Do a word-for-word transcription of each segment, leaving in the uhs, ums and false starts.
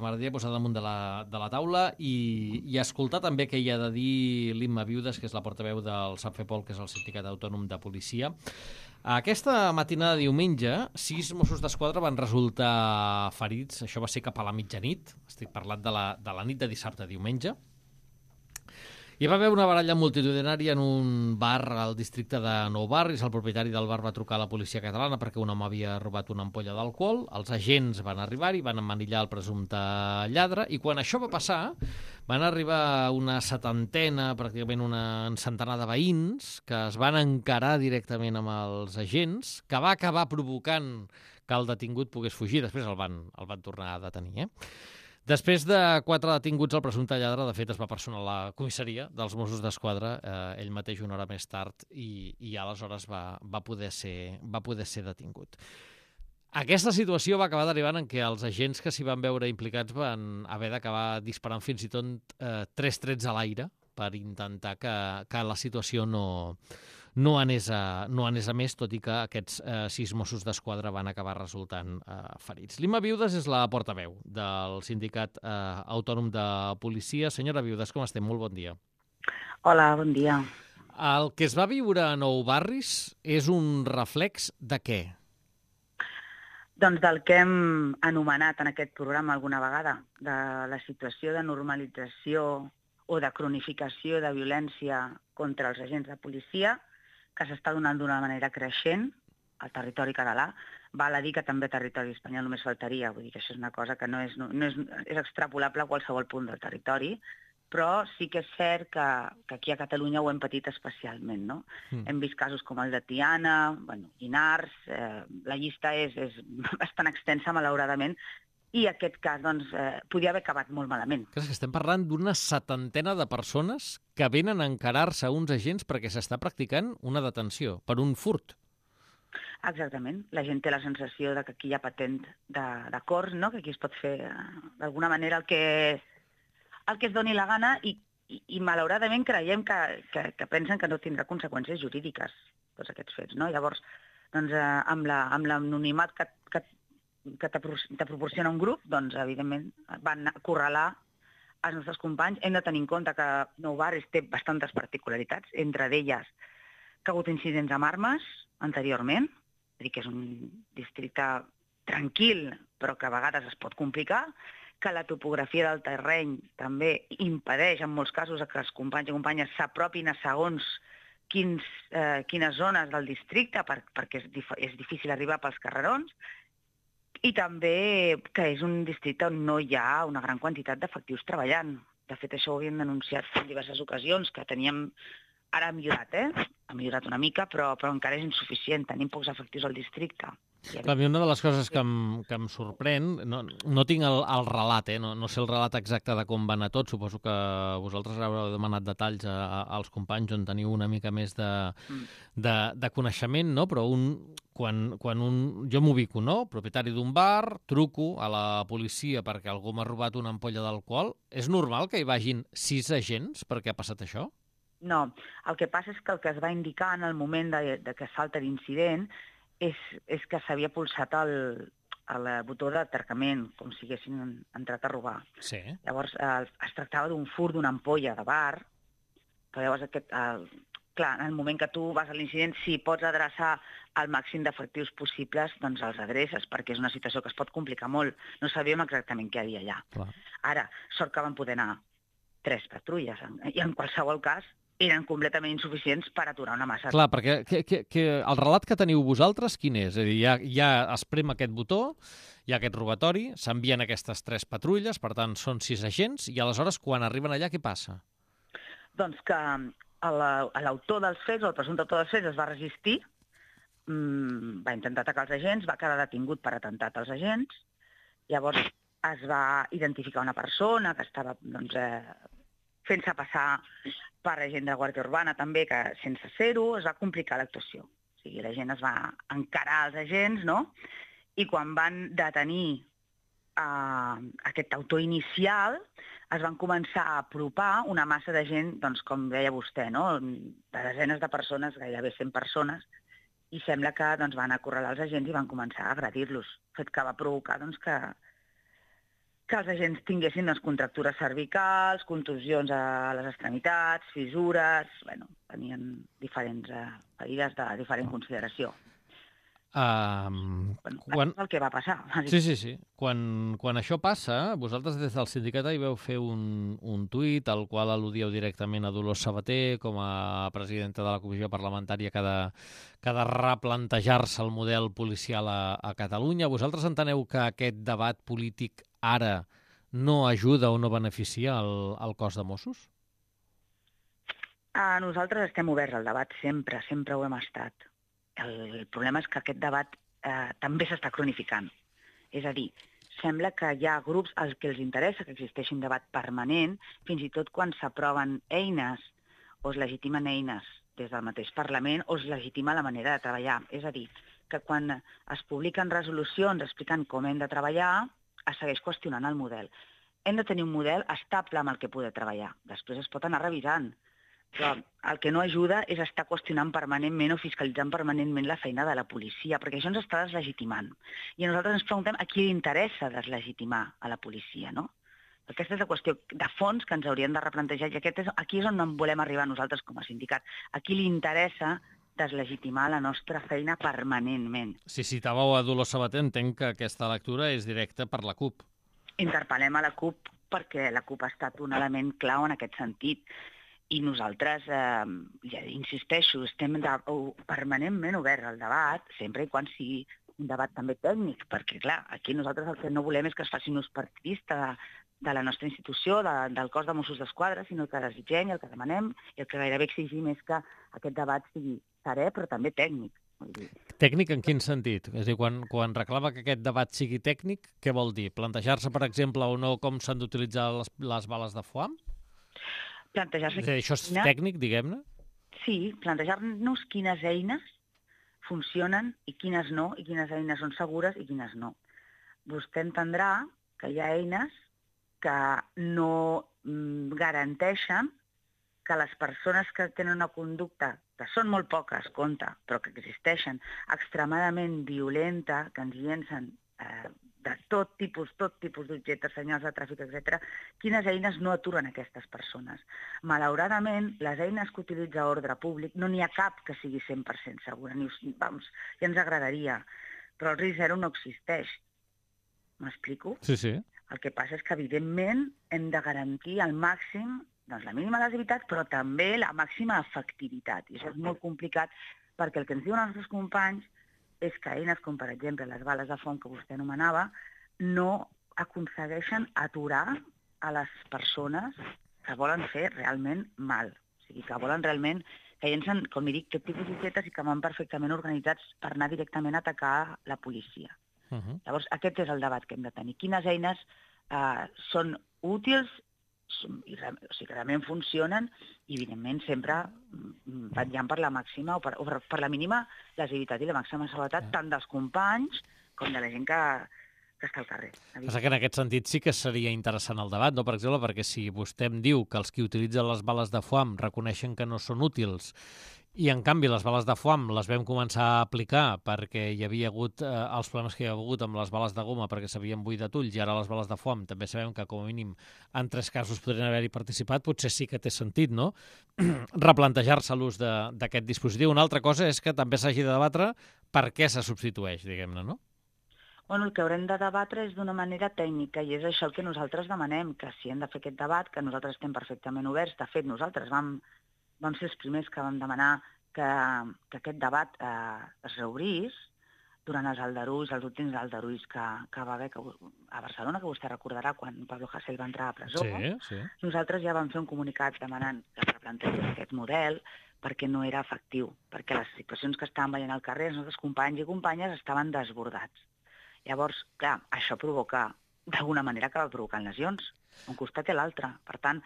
que m'agradaria posar damunt de la, de la taula i, i escoltar també què hi ha de dir l'Imma Viudes, que és la portaveu del SAPFEPOL, que és el Sindicat Autònom de Policia. Aquesta matinada de diumenge, sis Mossos d'Esquadra van resultar ferits. Això va ser cap a la mitjanit. Estic parlant de la, de la nit de dissabte a diumenge. Hi va haver una baralla multitudinària en un bar al districte de Nou Barris. El propietari del bar va trucar a la policia catalana perquè un home havia robat una ampolla d'alcohol. Els agents van arribar-hi, van emmanillar el presumpte lladre, i quan això va passar van arribar una setantena, pràcticament una centenar de veïns, que es van encarar directament amb els agents, que va acabar provocant que el detingut pogués fugir. Després el van, el van tornar a detenir, eh? Després de quatre detinguts, el presumpte lladre, de fet, es va personar a la comissaria dels Mossos d'Esquadra, eh, ell mateix una hora més tard, i, i aleshores va, va, poder ser, va poder ser detingut. Aquesta situació va acabar derivant en què els agents que s'hi van veure implicats van haver d'acabar disparant fins i tot eh, tres trets a l'aire per intentar que, que la situació no... no anés, a, no anés a més, tot i que aquests eh, sis Mossos d'Esquadra van acabar resultant eh, ferits. L'Imma Viudes és la portaveu del Sindicat eh, Autònom de Policia. Senyora Viudes, com estem? Molt bon dia. Hola, bon dia. El que es va viure a Nou Barris és un reflex de què? Doncs del que hem anomenat en aquest programa alguna vegada, de la situació de normalització o de cronificació de violència contra els agents de policia, que s'està donant d'una manera creixent al territori català. Val a dir que també al territori espanyol només faltaria, vull dir que això és una cosa que no és, no és, és extrapolable a qualsevol punt del territori, però sí que és cert que, que aquí a Catalunya ho hem patit especialment, no? Mm. Hem vist casos com el de Tiana, bueno, Llinars, eh, la llista és, és bastant extensa, malauradament, i aquest cas doncs, eh, podia haver acabat molt malament. Que estem parlant d'una setantena de persones que venen a encarar-se a uns agents perquè s'està practicant una detenció per un furt. Exactament. La gent té la sensació de que aquí hi ha patent d'acords, no? Que aquí es pot fer d'alguna manera el que, el que es doni la gana i, i, i malauradament creiem que, que, que pensen que no tindrà conseqüències jurídiques tots aquests fets, no? Llavors, doncs, eh, amb l'anonimat que, que que te proporciona un grup, doncs, evidentment, van acorralar els nostres companys. Hem de tenir en compte que Nou Barris té bastantes particularitats, entre d'elles que ha hagut incidents amb armes anteriorment, és a dir, que és un districte tranquil, però que a vegades es pot complicar, que la topografia del terreny també impedeix, en molts casos, que els companys i companyes s'apropin a segons quins, eh, quines zones del districte, per, perquè és, dif és difícil arribar pels carrerons, i també que és un districte on no hi ha una gran quantitat d'efectius treballant. De fet, això ho havíem denunciat en diverses ocasions, que teníem... Ara ha millorat, eh? Ha millorat una mica, però, però encara és insuficient. Tenim pocs efectius al districte. Clar, a mi una de les coses que em, que em sorprèn, no, no tinc el, el relat, eh? no, no sé el relat exacte de com va anar tot, suposo que vosaltres haureu demanat detalls a, a, als companys on teniu una mica més de, mm. de, de coneixement, no? Però un, quan, quan un, jo m'ubico, no? Propietari d'un bar, truco a la policia perquè algú m'ha robat una ampolla d'alcohol. És normal que hi vagin sis agents perquè ha passat això? No, el que passa és que el que es va indicar en el moment de, de que salta l'incident és, és que s'havia pulsat el, el botó d'atracament, com si haguessin entrat a robar. Sí. Llavors, eh, es tractava d'un furt d'una ampolla de bar, però llavors, aquest, el, clar, en el moment que tu vas a l'incident, si pots adreçar el màxim d'efectius possibles, doncs els adreces, perquè és una situació que es pot complicar molt. No sabíem exactament què hi havia allà. Clar. Ara, sort que van poder anar tres patrulles, i en qualsevol cas, eren completament insuficients per aturar una massa. Clar, perquè que, que, que el relat que teniu vosaltres, quin és? És a dir, ja, ja es prem aquest botó, hi ha aquest robatori, s'envien aquestes tres patrulles, per tant, són sis agents, i aleshores, quan arriben allà, què passa? Doncs que l'autor dels fets, o el presumpte autor dels fets, es va resistir, mmm, va intentar atacar els agents, va quedar detingut per atemptat als agents, llavors es va identificar una persona que estava, doncs, eh, fent-se passar per agent de Guàrdia Urbana també, que sense ser-ho es va complicar l'actuació. O sigui, la gent es va encarar als agents, no? I quan van detenir uh, aquest autor inicial, es van començar a apropar una massa de gent, doncs, com deia vostè, no? De desenes de persones, gairebé cent persones, i sembla que doncs, van acorralar els agents i van començar a agredir-los, fet que va provocar doncs, que, que els agents tinguessin les contractures cervicals, contusions a les extremitats, fissures... Bueno, tenien diferents eh, ferides de diferent consideració. Um, Bueno, quan... això és el que va passar. Sí, sí, sí. Quan, quan això passa, vosaltres des del sindicat hi veu fer un, un tuit al qual al·ludíeu directament a Dolors Sabater com a presidenta de la comissió parlamentària que ha de, que ha de replantejar-se el model policial a, a Catalunya. Vosaltres enteneu que aquest debat polític ara no ajuda o no beneficia el, el cos de Mossos? A nosaltres estem oberts al debat sempre, sempre ho hem estat. El, el problema és que aquest debat eh, també s'està cronificant. És a dir, sembla que hi ha grups als que els interessa que existeixi un debat permanent, fins i tot quan s'aproven eines o es legitimen eines des del mateix Parlament o es legitima la manera de treballar. És a dir, que quan es publiquen resolucions explicant com hem de treballar, es segueix qüestionant el model. Hem de tenir un model estable amb el que poder treballar. Després es pot anar revisant. Però el que no ajuda és estar qüestionant permanentment o fiscalitzant permanentment la feina de la policia, perquè això ens està deslegitimant. I nosaltres ens preguntem a qui li interessa deslegitimar a la policia, no? Aquesta és la qüestió de fons que ens hauríem de replantejar i aquest és, aquí és on en volem arribar nosaltres com a sindicat. A qui li interessa deslegitimar la nostra feina permanentment. Si citàveu a Dolors Sabater, entenc que aquesta lectura és directa per la CUP. Interpel·lem a la CUP perquè la CUP ha estat un element clau en aquest sentit. I nosaltres, eh, ja insisteixo, estem de, o, permanentment oberts al debat, sempre i quan sigui un debat també tècnic, perquè, clar, aquí nosaltres el que no volem és que es faci un ús partidista de, de la nostra institució, de, del cos de Mossos d'Esquadra, sinó que desitgem i el que demanem i el que gairebé exigim és que aquest debat sigui serè, però també tècnic. Vull dir. Tècnic en quin sentit? És a dir, quan, quan reclama que aquest debat sigui tècnic, què vol dir? Plantejar-se, per exemple, o no com s'han d'utilitzar les, les bales de foam? Plantejar-se... És a dir, això és tècnic, diguem-ne? Sí, plantejar-nos quines eines funcionen i quines no, i quines eines són segures i quines no. Vostè entendrà que hi ha eines que no mm, garanteixen que les persones que tenen una conducta, que són molt poques, compte, però que existeixen, extremadament violenta, que ens llencen eh, de tot tipus, tot tipus d'objectes, senyals de tràfic, etcètera, quines eines no aturen aquestes persones. Malauradament, les eines que utilitza ordre públic no n'hi ha cap que sigui cent per cent segura. Ni, vamos, ja ens agradaria, però el risc zero no existeix. M'explico? Sí, sí. El que passa és que, evidentment, hem de garantir al màxim doncs, la mínima lesivitat, però també la màxima efectivitat. I això és molt complicat perquè el que ens diuen els nostres companys és que eines com, per exemple, les bales de foam que vostè anomenava, no aconsegueixen aturar a les persones que volen fer realment mal. O sigui, que volen realment, que llencen, com li dic, tot tipus d'objectes i que van perfectament organitzats per anar directament a atacar la policia. Uh -huh. Llavors, aquest és el debat que hem de tenir. Quines eines eh, són útils, i, o sigui, que realment funcionen i, evidentment, sempre vetllant per la màxima o per, o per la mínima lesivitat i la màxima seguretat tant dels companys com de la gent que, que està al carrer. Passa que en aquest sentit sí que seria interessant el debat, no? Per exemple, perquè si vostè em diu que els que utilitzen les bales de foam reconeixen que no són útils i, en canvi, les bales de foam les vam començar a aplicar perquè hi havia hagut eh, els problemes que hi ha hagut amb les bales de goma perquè s'havien buidat ulls i ara les bales de foam també sabem que, com a mínim, en tres casos podrien haver-hi participat, potser sí que té sentit, no? Replantejar-se l'ús d'aquest dispositiu. Una altra cosa és que també s'hagi de debatre per què se substitueix, diguem-ne, no? Bueno, el que haurem de debatre és d'una manera tècnica i és això el que nosaltres demanem, que si hem de fer aquest debat, que nosaltres estem perfectament oberts. De fet, nosaltres vam vam ser els primers que vam demanar que, que aquest debat eh, es reobrís durant els aldarulls, els últims aldarulls que, que va haver que, a Barcelona, que vostè recordarà quan Pablo Hasél va entrar a presó. Sí, sí. Nosaltres ja vam fer un comunicat demanant que es replantegés aquest model perquè no era efectiu, perquè les situacions que estaven veient al carrer, els nostres companys i companyes estaven desbordats. Llavors, clar, això provoca, d'alguna manera, acaba provocant lesions, un costat i l'altre. Per tant,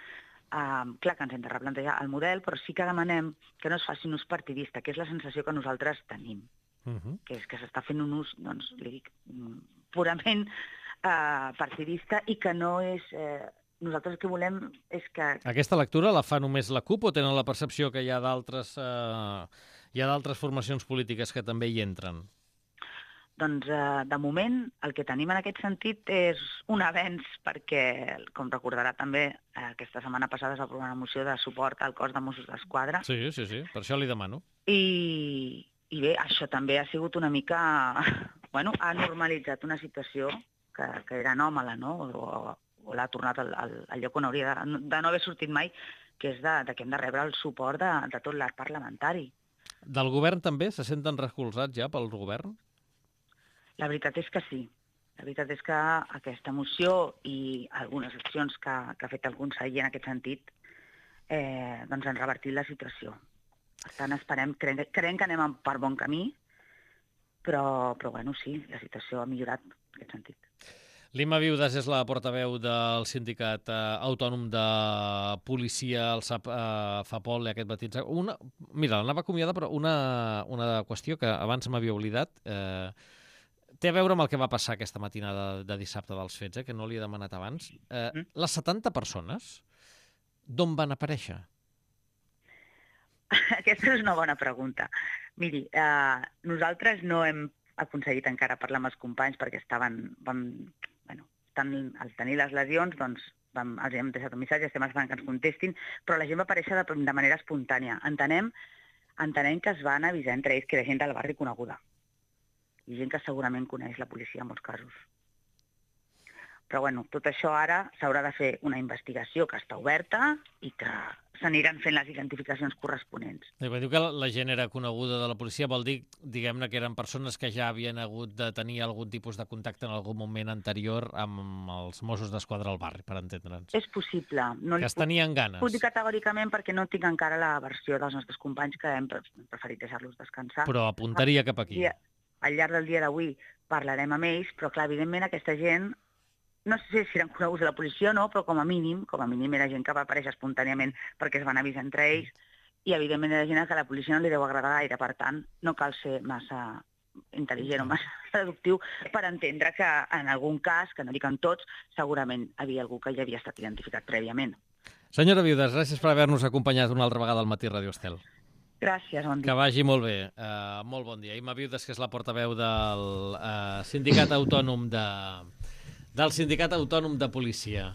Uh, clar que ens hem de replantejar el model, però sí que demanem que no es faci un ús partidista, que és la sensació que nosaltres tenim, uh -huh. que és que s'està fent un ús, doncs, li dic, purament uh, partidista i que no és... Uh, nosaltres el que volem és que... Aquesta lectura la fa només la CUP o tenen la percepció que hi ha d'altres uh, hi ha d'altres formacions polítiques que també hi entren? doncs eh, de moment el que tenim en aquest sentit és un avenç perquè, com recordarà també, eh, aquesta setmana passada es va aprovar una moció de suport al cos de Mossos d'Esquadra. Sí, sí, sí, per això li demano. I, i bé, això també ha sigut una mica... bueno, ha normalitzat una situació que, que era anòmala, no? O, o l'ha tornat al, al, al lloc on hauria de, de no haver sortit mai, que és de, de que hem de rebre el suport de, de tot l'arc parlamentari. Del govern també? Se senten recolzats ja pel govern? La veritat és que sí. La veritat és que aquesta moció i algunes accions que, que ha fet el conseller en aquest sentit eh, doncs han revertit la situació. Per tant, esperem, creiem, creiem que anem per bon camí, però, però bueno, sí, la situació ha millorat en aquest sentit. L'Imma Viudes és la portaveu del Sindicat eh, Autònom de Policia, el SAP eh, FAPOL, aquest matí. Una, mira, l'anava acomiadar, però una, una qüestió que abans m'havia oblidat... Eh, té a veure amb el que va passar aquesta matinada de, de dissabte dels fets, eh, que no li he demanat abans. Eh, mm. Les setanta persones, d'on van aparèixer? Aquesta és una bona pregunta. Miri, eh, nosaltres no hem aconseguit encara parlar amb els companys perquè estaven, vam, bueno, estan, al tenir les lesions, doncs vam, els hem deixat un missatge, estem esperant que ens contestin, però la gent va aparèixer de, de manera espontània. Entenem, entenem que es van avisar entre ells que era gent del barri coneguda. I gent que segurament coneix la policia en molts casos. Però bueno, tot això ara s'haurà de fer una investigació que està oberta i que s'aniran fent les identificacions corresponents. I quan diu que la gent era coneguda de la policia, vol dir, diguem-ne, que eren persones que ja havien hagut de tenir algun tipus de contacte en algun moment anterior amb els Mossos d'Esquadra al barri, per entendre'ns. És possible. No que es tenien ganes. Puc dir categòricament perquè no tinc encara la versió dels nostres companys, que hem preferit deixar-los descansar. Però apuntaria cap aquí. Al llarg del dia d'avui parlarem amb ells, però clar, evidentment aquesta gent, no sé si eren coneguts de la policia o no, però com a mínim, com a mínim era gent que va aparèixer espontàniament perquè es van avisar entre ells, i evidentment era gent que la policia no li deu agradar gaire, per tant, no cal ser massa intel·ligent o massa deductiu per entendre que en algun cas, que no dic en tots, segurament havia algú que ja havia estat identificat prèviament. Senyora Viudes, gràcies per haver-nos acompanyat una altra vegada al Matí Radio Estel. Gràcies, bon dia. Que vagi molt bé. Uh, molt bon dia. Imma Viudes, que és la portaveu del uh, Sindicat Autònom de, del Sindicat Autònom de Policia.